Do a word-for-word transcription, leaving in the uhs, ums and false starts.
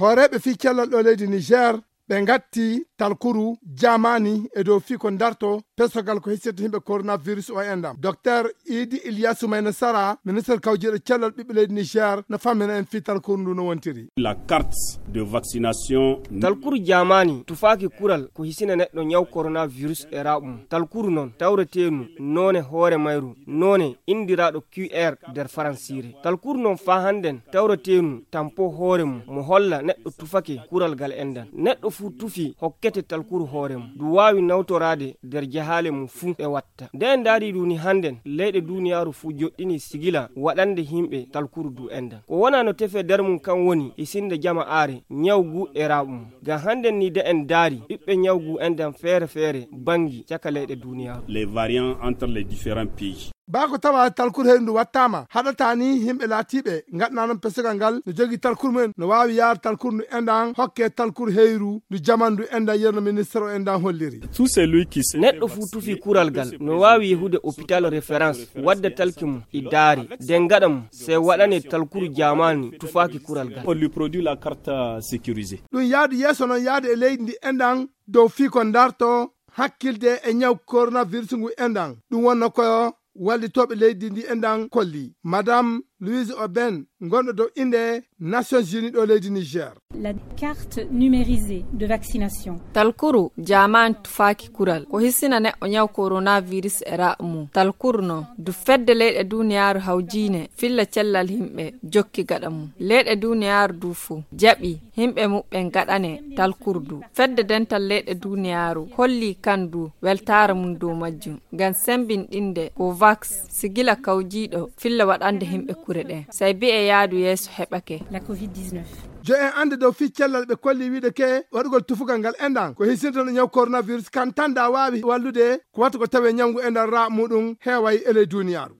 Hooreeɓe fii cellal ɗo leydi Niger ɓe ngatti talkuru jaamaani e dow fii ko darto pesogal ko hisirta yimɓe coronavirus o enɗam. Docteur Idi Ilyasu Mayna Sara, ministre kawjiiɗo cellal ɓiɓɓe leydi Niger, no fammina en fii talkuru ndu no wontiri. La carte de vaccination. Talkuru jaamaani tufaaki kural ko hisina neɗɗo ñaw coronavirus e raɓum. Talkuru non tawreteenu noone hoore mayru, noone indiraaɗo Q R nder faransiire. Talkuru non faa hannden tawreteenu tampo hoore mum mo holla neɗɗo tufake kural gal enɗan. Neɗɗo fuu tufi hokkete talkuru hoore mum. Ndu waawi nawtoraade nder jahaale mum fuu e watta. Nde en ndaari ndu ni hannden, leyɗe duuniyaaru fuu joɗɗini sigila waɗande yimɓe talkuru ndu enɗan. Ko wonaa no tefee nder mum kan woni hisinde jama aare, ñaw ngu e raɓum. Ngam hannden ni nde en ndaari ɓiɓɓe ñaw ngu enɗan feere feere banngi caka leyɗe duuniyaaru. Les variants entre les différents pays. Baa ko tawa talkuru heyru ndu wattaama, haɗataa ni yimɓe laatiiɓe ngaɗanaa non pesogal ngal no jogii talkuru mumen no waawi yaar talkuru ndu enɗan hokke talkuru heyru ndu jaman ndu enɗan yerno ministre o enɗan holliri. Tout celui qui se Neɗɗo fuu tufi kural gal no waawi yehude hôpital référence wadda talki mum e daari, nden gaɗa mum sey waɗane talkuru jaamaani tufaaki kural gal. On lui produit la carte sécurisée. Ɗum yaadu yeeso non yaade e leydi ndi enɗan dow fii ko darto hakkilde e ñaw coronavirus ngu enɗan. Ɗum wonno ko wallitooɓe leydi ndi enɗan kolli. Madame Louise Oben, gonɗo dow innde Nations Unies ɗo leydi Niger. La carte numérisée de vaccination. Talkuru jaamaani tufaaki kural ko hisina neɗɗo ñaw coronavirus e raɓu mum. Talkuru non ndu fedde leyɗe duuniyaaru hawjiine filla cellal yimɓe jokki gaɗa mum. Leyɗe duuniyaaru du fuu jaɓi yimɓe muɓɓen gaɗane talkuru ndu. Fedde dental leyɗe duuniyaaru holli kan du weltaare mum dow majjum. Ngam sembinɗinde Covax, sigila kawjiiɗo filla waɗande yimɓe kure ɗen. Sey bi'e yaadu yeeso heɓake. La covid dix-neuf. Jo en annde dow fii cellal ɓe kolli wiide ke waɗugol tufugal ngal enɗan ko hisinta no ñaw coronavirus kan tan da waawi wallude ko wattu ko tawe ñawngu enɗan raa muɗum heeway e ley duuniyaaru.